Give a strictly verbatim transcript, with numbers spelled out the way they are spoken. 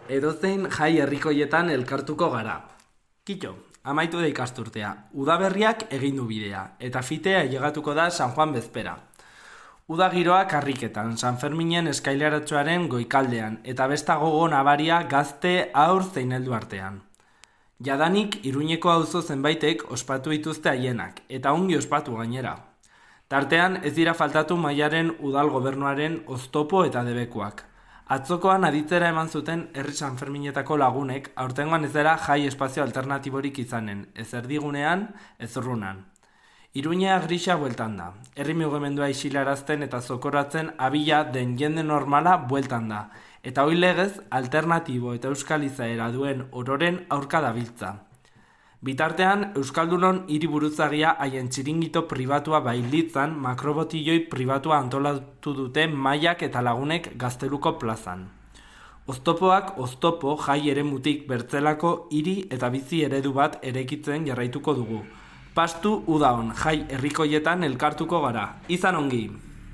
Edozein jai herrikoietan elkartuko gara. Kito, amaitu da ikasturtea. Udaberriak egin du bidea, eta fitea llegatuko da San Juan bezpera. Uda giroak karriketan, San Ferminen eskaileratxoaren goikaldean, eta besta gogo nabaria gazte aur zein heldu artean. Jadanik Iruñeko auzo zenbaitek ospatu dituzte haienak, eta ongi ospatu gainera. Tartean ez dira faltatu Maiaren udal gobernuaren oztopo eta debekuak. Atzokoan aditzera eman zuten herri San Ferminetako lagunek, aurtengoan ez dela jai espazio alternatiborik izanen, ez erdigunean, ez urrunan. Iruñea grisa bueltan da, herri mugimendua isilarazten eta zokoratzen abila den jende normala bueltan da, eta hoi legez alternatibo eta euskal izaera duen ororen aurka dabiltza. Bitartean, Euskaldunon hiri buruzagia haien txiringito pribatua bailitzan makrobotilloi pribatua antolatu dute Maiak eta lagunek Gazteluko plazan. Oztopoak oztopo jai eremutik bertzelako hiri eta bizi eredu bat eraikitzen jarraituko dugu. Pastu udaon jai herrikoietan elkartuko gara. Izan ongi!